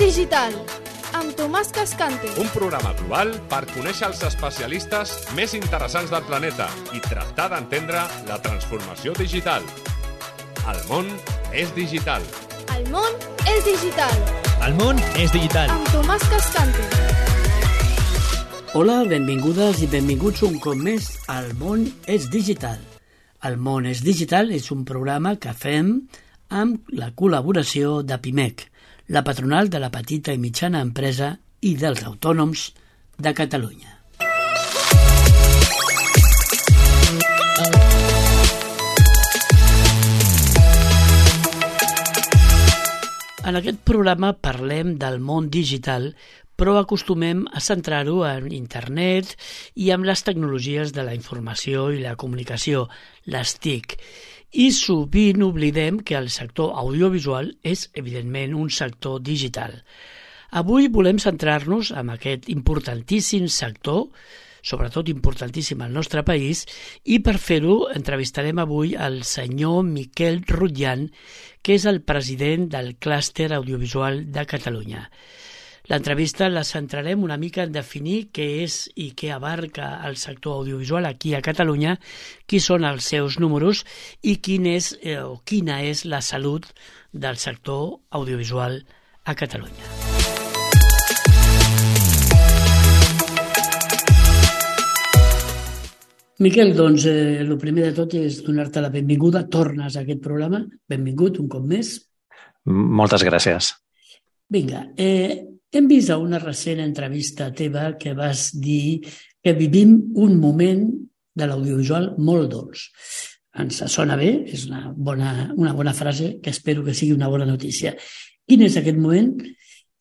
digital, amb Tomàs Cascante. Un programa global per conèixer els especialistes més interessants del planeta i tractar d'entendre la transformació digital. El món és digital. El món és digital. El món és digital. Amb Tomàs Cascante. Hola, benvingudes i benvinguts un cop més al món és digital. El món és digital és un programa que fem amb la col·laboració de PIMEC, la patronal de la petita i mitjana empresa i dels autònoms de Catalunya. En aquest programa parlem del món digital, però acostumem a centrar-ho en internet i amb les tecnologies de la informació i la comunicació, les TIC. I sovint oblidem que el sector audiovisual és, evidentment, un sector digital. Avui volem centrar-nos en aquest importantíssim sector, sobretot importantíssim al nostre país, i per fer-ho entrevistarem avui el senyor Miquel Rutllan, que és el president del Clúster Audiovisual de Catalunya. L'entrevista la centrarem una mica en definir què és i què abarca el sector audiovisual aquí a Catalunya, qui són els seus números i quina és la salut del sector audiovisual a Catalunya. Miquel, doncs, el primer de tot és donar-te la benvinguda. Tornes a aquest programa. Benvingut un cop més. Moltes gràcies. Vinga, hem vist a una recent entrevista teva que vas dir que vivim un moment de l'audiovisual molt dolç. Ens sona bé, és una bona frase que espero que sigui una bona notícia. Quin és aquest moment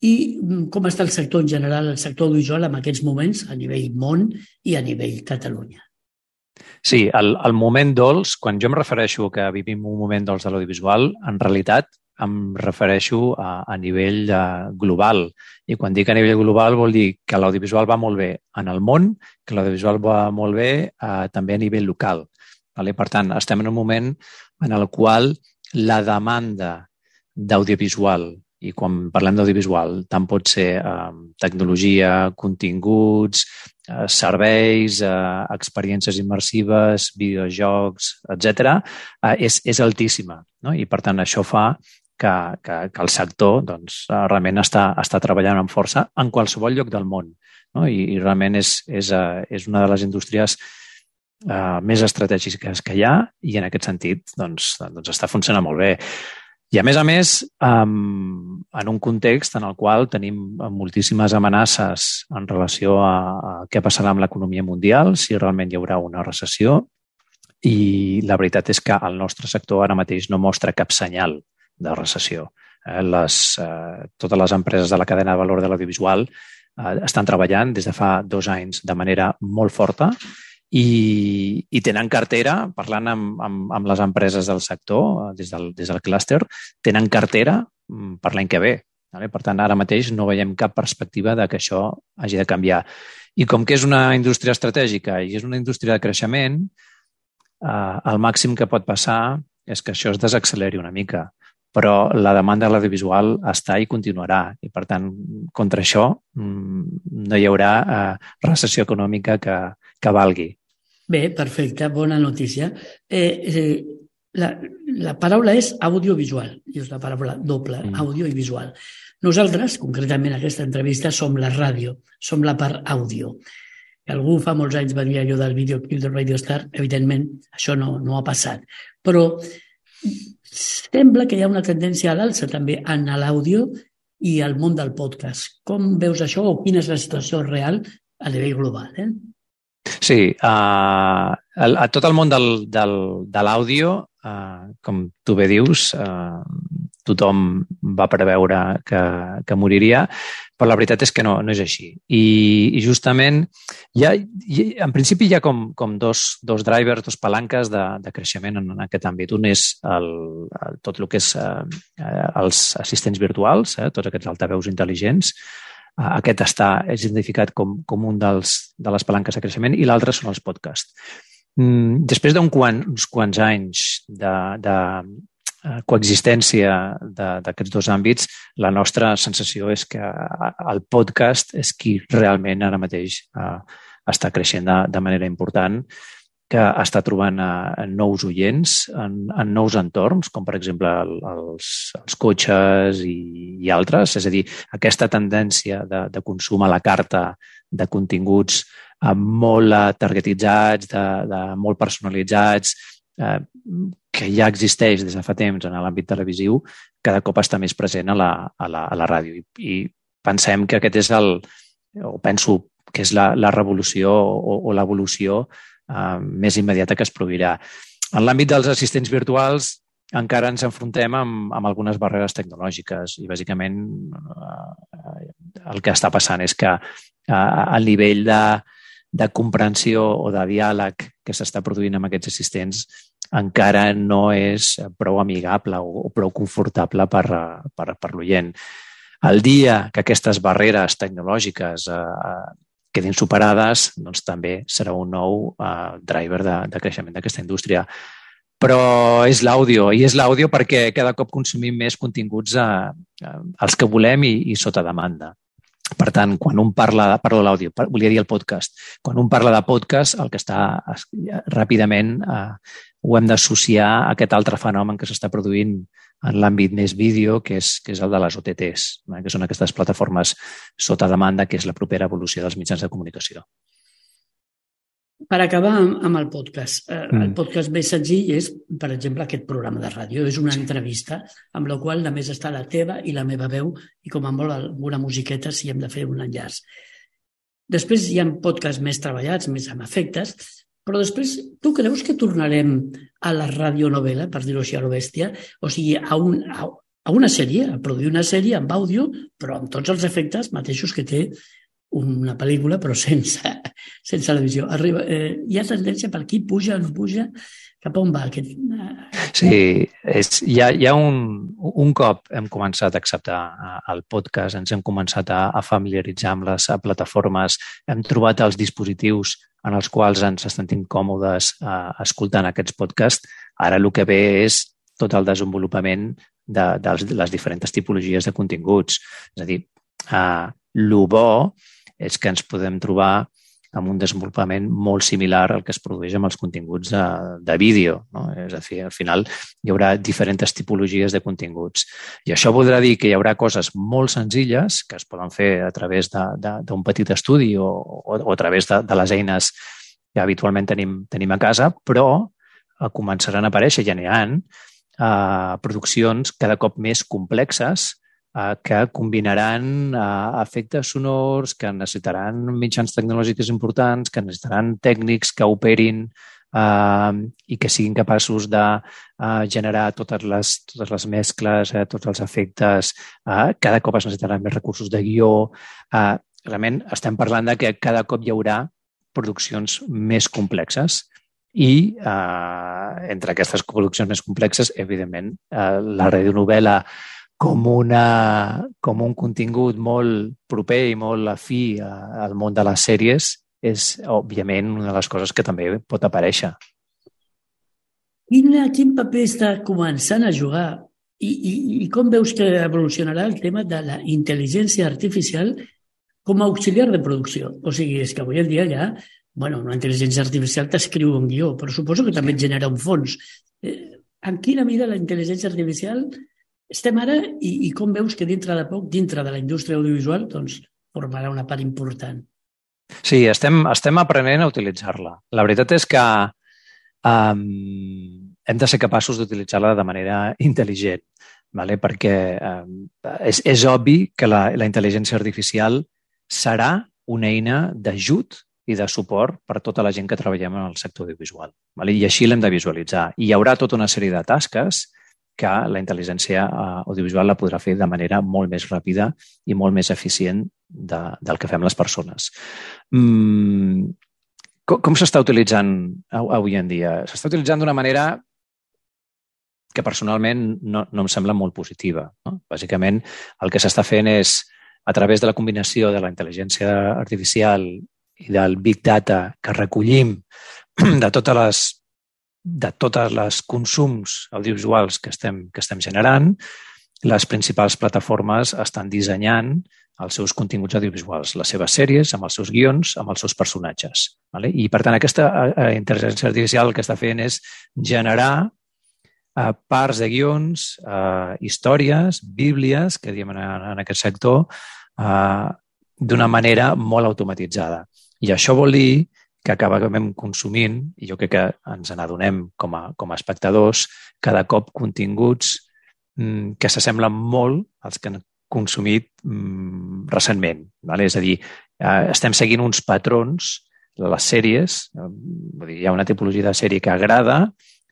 i com està el sector en general, el sector audiovisual en aquests moments a nivell món i a nivell Catalunya? Sí, el moment dolç, quan jo em refereixo que vivim un moment dolç de l'audiovisual, en realitat em refereixo a nivell global. I quan dic a nivell global vol dir que l'audiovisual va molt bé en el món, que l'audiovisual va molt bé també a nivell local. Per tant, estem en un moment en el qual la demanda d'audiovisual, i quan parlem d'audiovisual, tant pot ser tecnologia, continguts, serveis, experiències immersives, videojocs, etc., és altíssima. No? I, per tant, això fa que el sector realment està treballant amb força en qualsevol lloc del món. No? I realment és una de les indústries més estratègiques que hi ha i en aquest sentit està funcionant molt bé. I a més, en un context en el qual tenim moltíssimes amenaces en relació a què passarà amb l'economia mundial, si realment hi haurà una recessió, i la veritat és que el nostre sector ara mateix no mostra cap senyal de recessió. Totes les empreses de la cadena de valor de l'audiovisual estan treballant des de fa 2 anys de manera molt forta i tenen cartera, parlant amb les empreses del sector, des del clúster, tenen cartera per l'any que ve. Per tant, ara mateix no veiem cap perspectiva de que això hagi de canviar. I com que és una indústria estratègica i és una indústria de creixement, el màxim que pot passar és que això es desacceleri una mica. Però la demanda de l'audiovisual està i continuarà. I, per tant, contra això no hi haurà recessió econòmica que valgui. Bé, perfecte, bona notícia. La paraula és audiovisual, i és la paraula doble, àudio i visual. Nosaltres, concretament en aquesta entrevista, som la ràdio, som la part àudio. Algú fa molts anys va dir allò del videoclip de Radio Star, evidentment això no ha passat. Però sembla que hi ha una tendència a l'alça també en l'àudio i al món del podcast. Com veus això o quina és la situació real a nivell global? Sí, a tot el món de l'àudio, com tu bé dius, tothom va preveure que moriria, però la veritat és que no és així. I justament, en principi hi ha com dos drivers, dos palanques de creixement en aquest àmbit. Un és tot el que és els assistents virtuals, tots aquests altaveus intel·ligents. Aquest és identificat com un de les palanques de creixement i l'altre són els podcasts. Després d'uns quants anys coexistència d'aquests dos àmbits, la nostra sensació és que el podcast és qui realment ara mateix està creixent de manera important, que està trobant nous oients en nous entorns, com per exemple els cotxes i altres. És a dir, aquesta tendència de consum a la carta de continguts molt targetitzats, molt personalitzats, que ja existeix des de fa temps en l'àmbit televisiu, cada cop està més present a la ràdio. I pensem que aquest és penso que és la revolució o l'evolució més immediata que es produirà. En l'àmbit dels assistents virtuals encara ens enfrontem amb algunes barreres tecnològiques i bàsicament el que està passant és que el nivell de comprensió o de diàleg que s'està produint amb aquests assistents encara no és prou amigable o prou confortable per l'oient. El dia que aquestes barreres tecnològiques quedin superades, doncs també serà un nou driver de creixement d'aquesta indústria. Però és l'àudio, i és l'àudio perquè cada cop consumim més continguts els que volem i sota demanda. Per tant, quan un parla de l'àudio, volia dir el podcast, quan un parla de podcast, el que està ràpidament ho hem d'associar a aquest altre fenomen que s'està produint en l'àmbit més vídeo, que és el de les OTTs, que són aquestes plataformes sota demanda, que és la propera evolució dels mitjans de comunicació. Per acabar amb el podcast. El podcast més senzill és, per exemple, aquest programa de ràdio. És una entrevista amb la qual només està la teva i la meva veu i com a molt alguna musiqueta si hem de fer un enllaç. Després hi ha podcasts més treballats, més amb efectes, però després tu creus que tornarem a la radionovel·la, per dir-ho així a lo bèstia, o sigui, a una sèrie, a produir una sèrie amb àudio, però amb tots els efectes mateixos que té una pel·lícula, però sense la visió. Hi ha tendència per aquí, puja, no puja, cap a on va aquest... Sí, hi ha un cop hem començat a acceptar el podcast, ens hem començat a familiaritzar amb les plataformes, hem trobat els dispositius en els quals ens sentim còmodes escoltant aquests podcasts. Ara el que ve és tot el desenvolupament de les diferents tipologies de continguts. És a dir, el bo és que ens podem trobar amb un desenvolupament molt similar al que es produeix amb els continguts de vídeo. No? És a dir, al final hi haurà diferents tipologies de continguts. I això voldrà dir que hi haurà coses molt senzilles que es poden fer a través d'un petit estudi o a través de les eines que habitualment tenim a casa, però començaran a aparèixer, ja n'hi ha, produccions cada cop més complexes que combinaran efectes sonors, que necessitaran mitjans tecnològics importants, que necessitaran tècnics que operin i que siguin capaços de generar totes les mescles, tots els efectes. Cada cop es necessitaran més recursos de guió. Realment estem parlant de que cada cop hi haurà produccions més complexes i entre aquestes produccions més complexes, evidentment, la radionovel·la com un contingut molt proper i molt afí al món de les sèries és, òbviament, una de les coses que també pot aparèixer. Quin paper està començant a jugar i com veus que evolucionarà el tema de la intel·ligència artificial com a auxiliar de producció? O sigui, és que avui en dia ja una intel·ligència artificial t'escriu un guió, però suposo que també et genera un fons. En quina mida la intel·ligència artificial estem ara i com veus que dintre de poc, dintre de la indústria audiovisual, doncs formarà una part important? Sí, estem aprenent a utilitzar-la. La veritat és que hem de ser capaços d'utilitzar-la de manera intel·ligent, perquè és obvi que la intel·ligència artificial serà una eina d'ajut i de suport per tota la gent que treballem en el sector audiovisual. I així l'hem de visualitzar. I hi haurà tota una sèrie de tasques que la intel·ligència audiovisual la podrà fer de manera molt més ràpida i molt més eficient del que fem les persones. Com s'està utilitzant avui en dia? S'està utilitzant d'una manera que personalment no em sembla molt positiva. Bàsicament, el que s'està fent és, a través de la combinació de la intel·ligència artificial i del Big Data que recollim de totes les de totes les consums audiovisuals que estem generant, les principals plataformes estan dissenyant els seus continguts audiovisuals, les seves sèries, amb els seus guions, amb els seus personatges. Vale? I, per tant, aquesta intel·ligència artificial el que està fent és generar parts de guions, històries, bíblies, que diem en aquest sector, d'una manera molt automatitzada. I això vol dir que acabem consumint, i jo crec que ens n'adonem com a espectadors, cada cop continguts que s'assemblen molt als que han consumit recentment. Vale? És a dir, estem seguint uns patrons de les sèries, hi ha una tipologia de sèrie que agrada,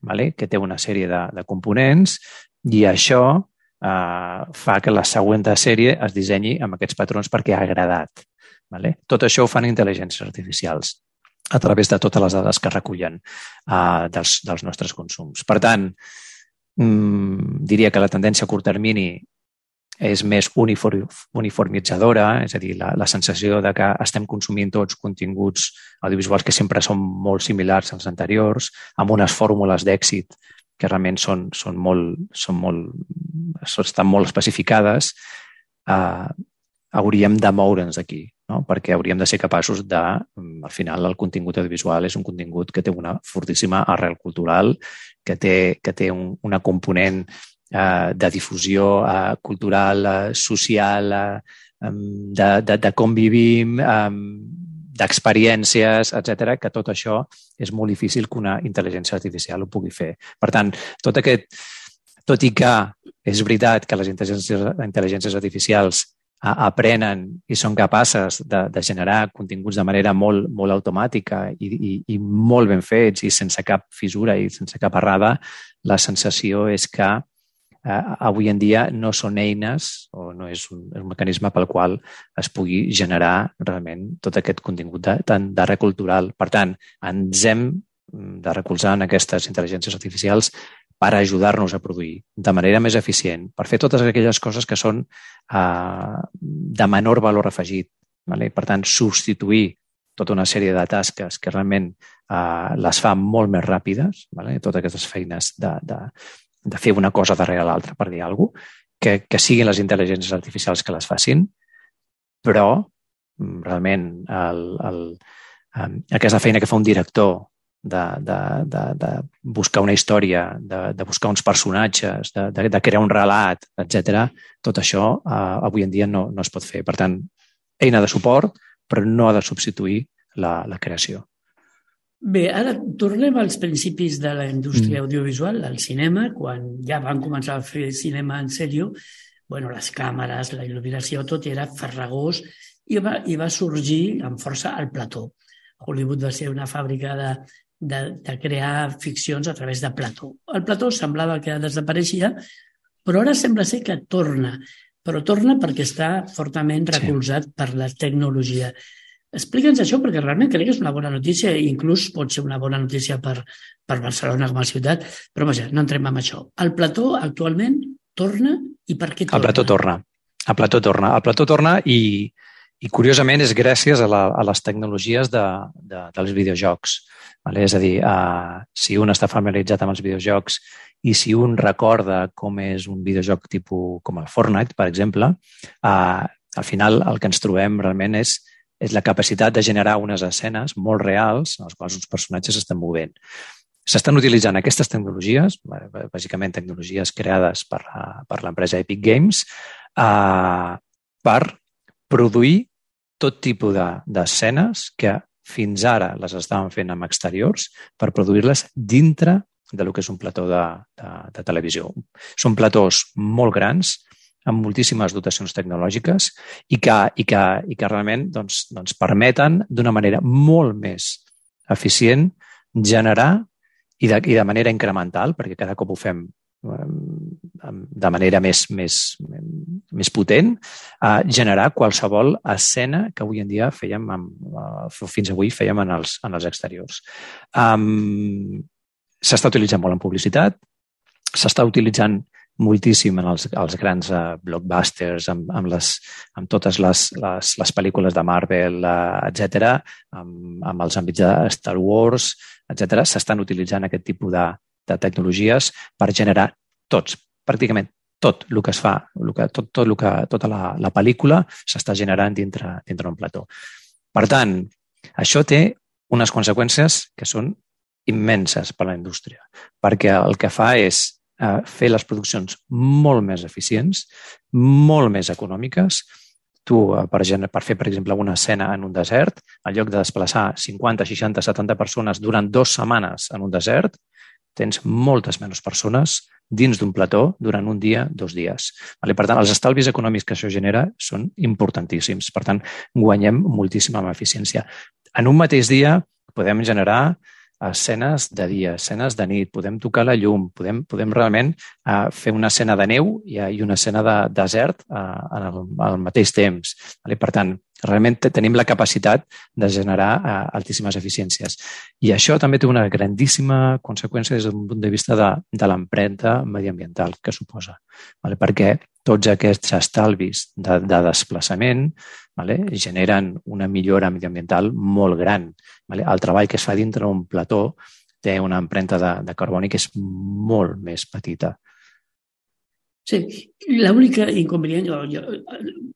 vale? Que té una sèrie de components, i això fa que la següent sèrie es dissenyi amb aquests patrons perquè ha agradat. Vale? Tot això ho fan intel·ligències artificials a través de totes les dades que recullen dels nostres consums. Per tant, diria que la tendència a curt termini és més uniformitzadora, és a dir, la sensació de que estem consumint tots continguts audiovisuals que sempre són molt similars als anteriors, amb unes fórmules d'èxit que realment estan molt especificades, hauríem de moure'ns aquí, no? Perquè hauríem de ser capaços de, al final, el contingut audiovisual és un contingut que té una fortíssima arrel cultural, que té una component de difusió cultural, social, de com vivim, d'experiències, etc., que tot això és molt difícil que una intel·ligència artificial ho pugui fer. Per tant, tot i que és veritat que les intel·ligències artificials aprenen i són capaces de generar continguts de manera molt, molt automàtica i molt ben fets i sense cap fissura i sense cap errada, la sensació és que avui en dia no són eines o no és un mecanisme pel qual es pugui generar realment tot aquest contingut d'arrel cultural. Per tant, ens hem de recolzar en aquestes intel·ligències artificials per ajudar-nos a produir de manera més eficient, per fer totes aquelles coses que són de menor valor afegit. Vale? Per tant, substituir tota una sèrie de tasques que realment les fa molt més ràpides, vale? Totes aquestes feines de fer una cosa darrere l'altra, per dir alguna cosa, que siguin les intel·ligències artificials que les facin, però realment aquesta feina que fa un director de buscar una història, de buscar uns personatges, de crear un relat, etc., tot això avui en dia no es pot fer. Per tant, eina de suport, però no ha de substituir la creació. Bé, ara tornem als principis de la indústria audiovisual, al cinema, quan ja van començar a fer cinema en sèrio, les càmeres, la il·luminació, tot era farragós i va sorgir amb força el plató. Hollywood va ser una fàbrica de crear ficcions a través de plató. El plató semblava que desapareixia, però ara sembla ser que torna, però torna perquè està fortament recolzat per la tecnologia. Explica'ns això, perquè realment crec que és una bona notícia i inclús pot ser una bona notícia per Barcelona com a ciutat, però vaja, no entrem en això. El plató actualment torna i per què torna? El plató torna i curiosament és gràcies a les tecnologies dels videojocs. És a dir, si un està familiaritzat amb els videojocs i si un recorda com és un videojoc tipus com el Fortnite, per exemple, al final el que ens trobem realment és la capacitat de generar unes escenes molt reals en les quals uns personatges s'estan movent. S'estan utilitzant aquestes tecnologies, bàsicament tecnologies creades per l'empresa Epic Games, per produir tot tipus d'escenes que fins ara les estaven fent amb exteriors per produir-les dintre del que és un plató de televisió. Són platós molt grans, amb moltíssimes dotacions tecnològiques i que realment permeten d'una manera molt més eficient generar i de manera incremental, perquè cada cop ho fem de manera més potent, generar qualsevol escena que avui en dia fins avui fèiem en els exteriors. S'està utilitzant molt en publicitat, s'està utilitzant moltíssim en els grans blockbusters, amb totes les pel·lícules de Marvel, etc., amb els àmbits de Star Wars, etc., s'estan utilitzant aquest tipus de tecnologies per generar pràcticament tot el que es fa, tota la pel·lícula s'està generant dintre un plató. Per tant, això té unes conseqüències que són immenses per a la indústria, perquè el que fa és fer les produccions molt més eficients, molt més econòmiques. Tu, per fer, per exemple, una escena en un desert, en lloc de desplaçar 50, 60, 70 persones durant 2 setmanes en un desert, tens moltes menys persones dins d'un plató durant un dia, 2 dies. Per tant, els estalvis econòmics que això genera són importantíssims. Per tant, guanyem moltíssima eficiència. En un mateix dia podem generar escenes de dia, escenes de nit, podem tocar la llum, podem realment fer una escena de neu i una escena de desert al mateix temps. Per tant, realment tenim la capacitat de generar altíssimes eficiències. I això també té una grandíssima conseqüència des d'un punt de vista de l'empremta mediambiental que suposa, perquè tots aquests estalvis de desplaçament generen una millora mediambiental molt gran. El treball que es fa dintre d'un plató té una empremta de carboni que és molt més petita. Sí, l'única inconvenient, jo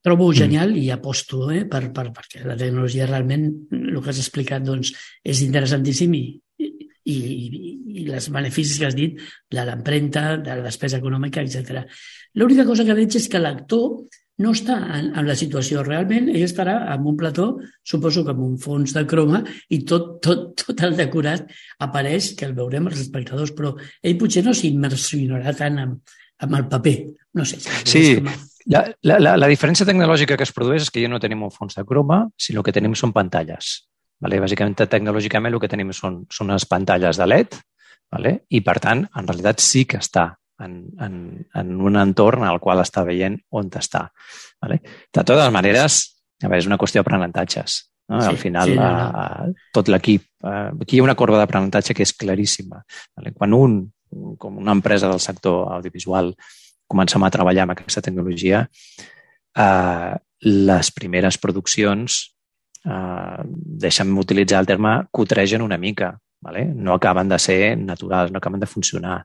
trobo genial i aposto perquè la tecnologia realment, el que has explicat, doncs, és interessantíssim i els beneficis que has dit, de l'empremta, de la despesa econòmica, etc. L'única cosa que veig és que l'actor no està en la situació realment, ell estarà en un plató, suposo que amb un fons de croma, i tot el decorat apareix, que el veurem els espectadors, però ell potser no s'immersionarà tant amb el paper. No sé. Sí, la diferència tecnològica que es produeix és que ja no tenim un fons de croma, sinó que tenim són pantalles. Bàsicament, tecnològicament, el que tenim són unes pantalles de LED i, per tant, en realitat sí que està en un entorn al qual està veient on està. De totes maneres, és una qüestió d'aprenentatges. Al final, tot l'equip... Aquí hi ha una corba d'aprenentatge que és claríssima. Quan com una empresa del sector audiovisual, comencem a treballar amb aquesta tecnologia, les primeres produccions, deixa'm utilitzar el terme, cotregen una mica. No acaben de ser naturals, no acaben de funcionar.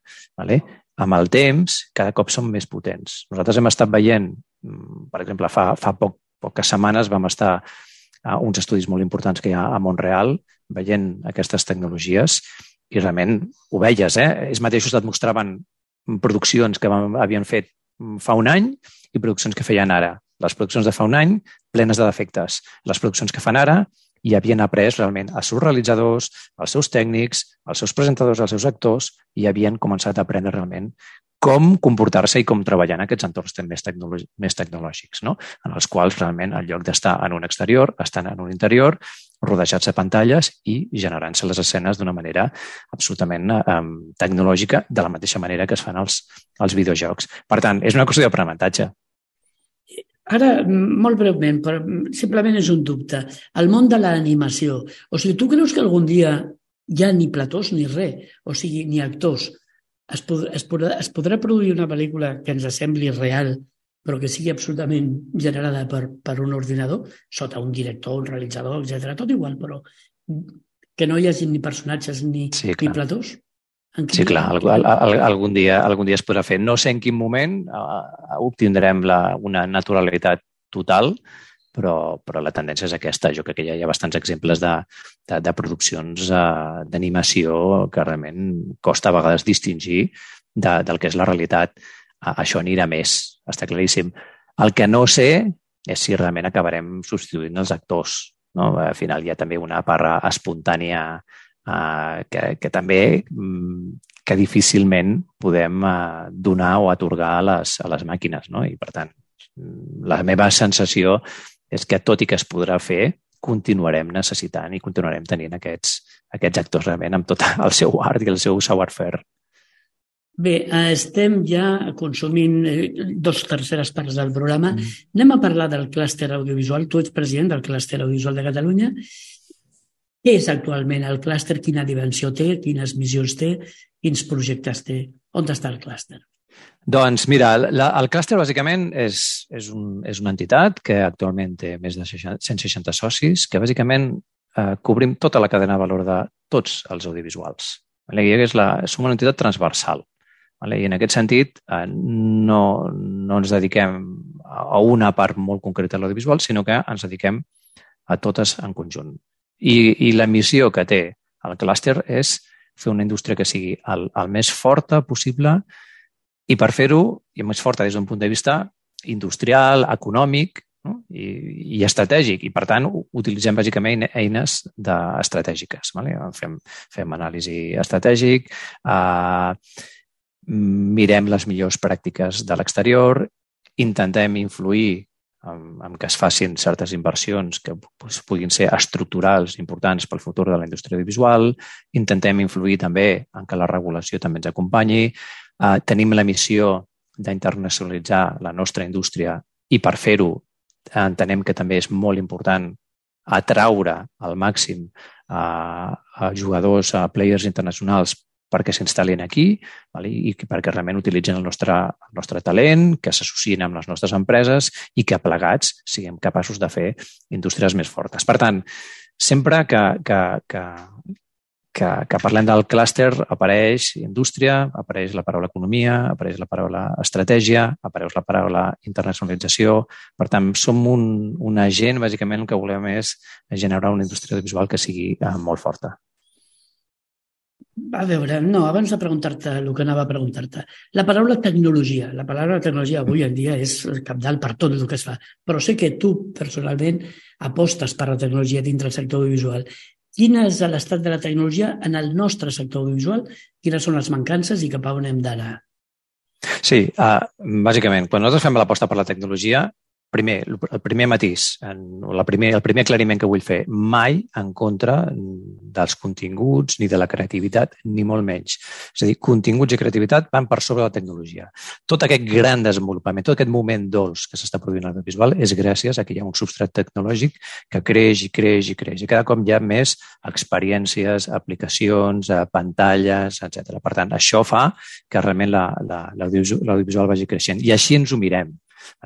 Amb el temps, cada cop són més potents. Nosaltres hem estat veient, per exemple, fa poques setmanes vam estar a uns estudis molt importants que hi ha a Montreal veient aquestes tecnologies i realment ho veies. Ells mateixos et mostraven produccions que havien fet fa un any i produccions que feien ara. Les produccions de fa un any, plenes de defectes. Les produccions que fan ara, i havien après realment els seus realitzadors, els seus tècnics, els seus presentadors, els seus actors, i havien començat a aprendre realment com comportar-se i com treballar en aquests entorns més tecnològics, en els quals realment, en lloc d'estar en un exterior, estan en un interior, rodejats de pantalles i generant-se les escenes d'una manera absolutament tecnològica, de la mateixa manera que es fan els videojocs. Per tant, és una qüestió d'aprenentatge. Ara, molt breument, però simplement és un dubte. El món de l'animació. O sigui, tu creus que algun dia ja ni platós ni res, o sigui, ni actors, es podrà produir una pel·lícula que ens sembli real, però que sigui absolutament generada per un ordinador, sota un director, un realitzador, etc. Tot igual, però que no hi hagi ni personatges ni platós? Sí, clar, algun dia es podrà fer. No sé en quin moment obtindrem una naturalitat total, però la tendència és aquesta. Jo crec que ja hi ha bastants exemples de produccions d'animació que realment costa a vegades distingir del que és la realitat. Això anirà més, està claríssim. El que no sé és si realment acabarem substituint els actors. Al final hi ha també una part espontània que també que difícilment podem donar o atorgar a les màquines. I, per tant, la meva sensació és que, tot i que es podrà fer, continuarem necessitant i continuarem tenint aquests actors realment amb tot el seu art i el seu savoir-faire. Bé, estem ja consumint 2/3 parts del programa. Anem a parlar del clúster audiovisual. Tu ets president del clúster audiovisual de Catalunya. Què és actualment el clúster? Quina dimensió té? Quines missions té? Quins projectes té? On està el clúster? Doncs mira, el clúster bàsicament és una entitat que actualment té més de 160 socis, que bàsicament cobrim tota la cadena de valor de tots els audiovisuals. Som una entitat transversal. I en aquest sentit no ens dediquem a una part molt concreta de l'audiovisual, sinó que ens dediquem a totes en conjunt. I la missió que té el clúster és fer una indústria que sigui el més forta possible i per fer-ho, i més forta des d'un punt de vista industrial, econòmic, no? I estratègic. I, per tant, utilitzem bàsicament eines estratègiques. Fem anàlisi estratègic, mirem les millors pràctiques de l'exterior, intentem influir en que es facin certes inversions que puguin ser estructurals importants pel futur de la indústria audiovisual, intentem influir també en que la regulació també ens acompanyi, tenim la missió d'internacionalitzar la nostra indústria i per fer-ho entenem que també és molt important atraure al màxim a jugadors, a players internacionals perquè s'instal·lin aquí i perquè realment utilitzen el nostre talent, que s'associen amb les nostres empreses i que plegats siguem capaços de fer indústries més fortes. Per tant, sempre que parlem del clúster apareix indústria, apareix la paraula economia, apareix la paraula estratègia, apareix la paraula internacionalització. Per tant, som un agent, bàsicament el que volem és generar una indústria audiovisual que sigui molt forta. A veure, abans de preguntar-te el que anava a preguntar-te. La paraula tecnologia avui en dia és cabdal per tot el que es fa, però sé que tu personalment apostes per la tecnologia dintre del sector audiovisual. Quin és l'estat de la tecnologia en el nostre sector audiovisual? Quines són les mancances i cap a on hem d'anar? Sí, bàsicament, quan nosaltres fem l'aposta per la tecnologia, el primer matís, el primer aclariment que vull fer, mai en contra dels continguts ni de la creativitat, ni molt menys. És a dir, continguts i creativitat van per sobre de la tecnologia. Tot aquest gran desenvolupament, tot aquest moment dolç que s'està produint a l'audiovisual és gràcies a que hi ha un substrat tecnològic que creix i creix i creix. I cada cop hi ha més experiències, aplicacions, pantalles, etc. Per tant, això fa que realment l'audiovisual vagi creixent. I així ens ho mirem.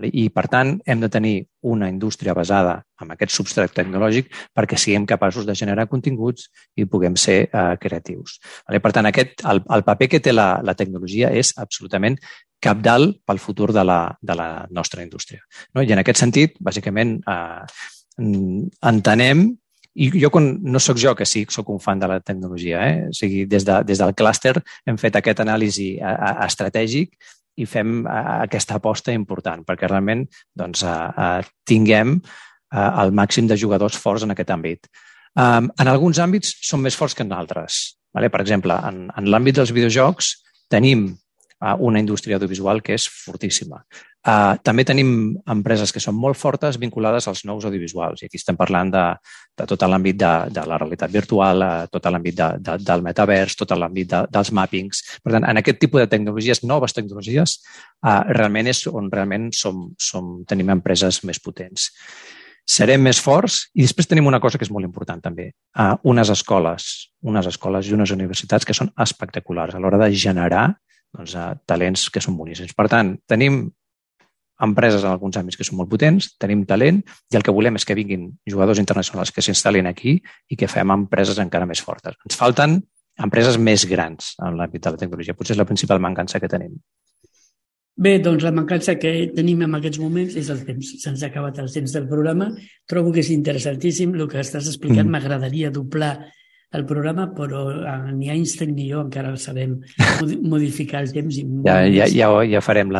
I, per tant, hem de tenir una indústria basada en aquest substrat tecnològic perquè siguem capaços de generar continguts i puguem ser creatius. Per tant, el paper que té la tecnologia és absolutament cabdal pel futur de la nostra indústria. I en aquest sentit, bàsicament, entenem, i jo no sóc jo que sí, sóc un fan de la tecnologia, o sigui, des del clúster hem fet aquest anàlisi estratègic i fem aquesta aposta important perquè realment tinguem el màxim de jugadors forts en aquest àmbit. En alguns àmbits són més forts que en altres. Per exemple, en l'àmbit dels videojocs tenim una indústria audiovisual que és fortíssima. També tenim empreses que són molt fortes vinculades als nous audiovisuals. I aquí estem parlant de tot l'àmbit de la realitat virtual, tot l'àmbit del metavers, tot l'àmbit dels mappings. Per tant, en aquest tipus de tecnologies, noves tecnologies, realment és on realment tenim empreses més potents. Serem més forts i després tenim una cosa que és molt important també. Unes escoles i unes universitats que són espectaculars a l'hora de generar talents que són boníssims. Per tant, tenim empreses en alguns àmbits que són molt potents, tenim talent i el que volem és que vinguin jugadors internacionals que s'instal·lin aquí i que fem empreses encara més fortes. Ens falten empreses més grans en l'àmbit de la tecnologia. Potser és la principal mancança que tenim. Bé, doncs la mancança que tenim en aquests moments és el temps. Se'ns ha acabat el temps del programa. Trobo que és interessantíssim. El que estàs explicant m'agradaria doblar el programa, però ni Einstein ni jo encara sabem modificar el temps. Ja farem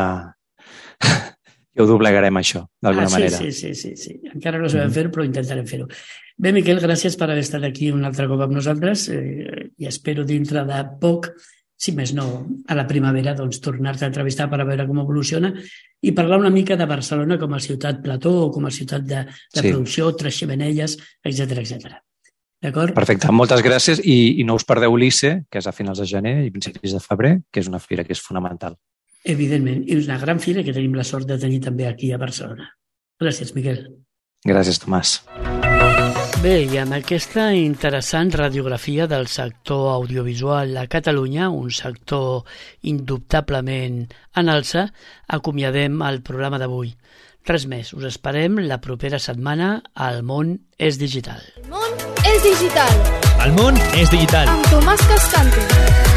ja ho doblegarem, això, d'alguna manera. Sí. Encara no sabem fer-ho, però intentarem fer-ho. Bé, Miquel, gràcies per haver estat aquí un altre cop amb nosaltres i espero dintre de poc, si més no, a la primavera, doncs tornar-te a entrevistar per a veure com evoluciona i parlar una mica de Barcelona com a ciutat plató o com a ciutat de producció, Tres Xemeneies, etc. D'acord? Perfecte, moltes gràcies i no us perdeu l'ICE, que és a finals de gener i principis de febrer, que és una fira que és fonamental. Evidentment, i és una gran fira que tenim la sort de tenir també aquí a Barcelona. Gràcies, Miquel. Gràcies, Tomàs. Bé, i amb aquesta interessant radiografia del sector audiovisual a Catalunya, un sector indubtablement en alça, acomiadem el programa d'avui. Res més, us esperem la propera setmana al Món és Digital. El món és digital. El món és digital. Amb Tomàs Cascante.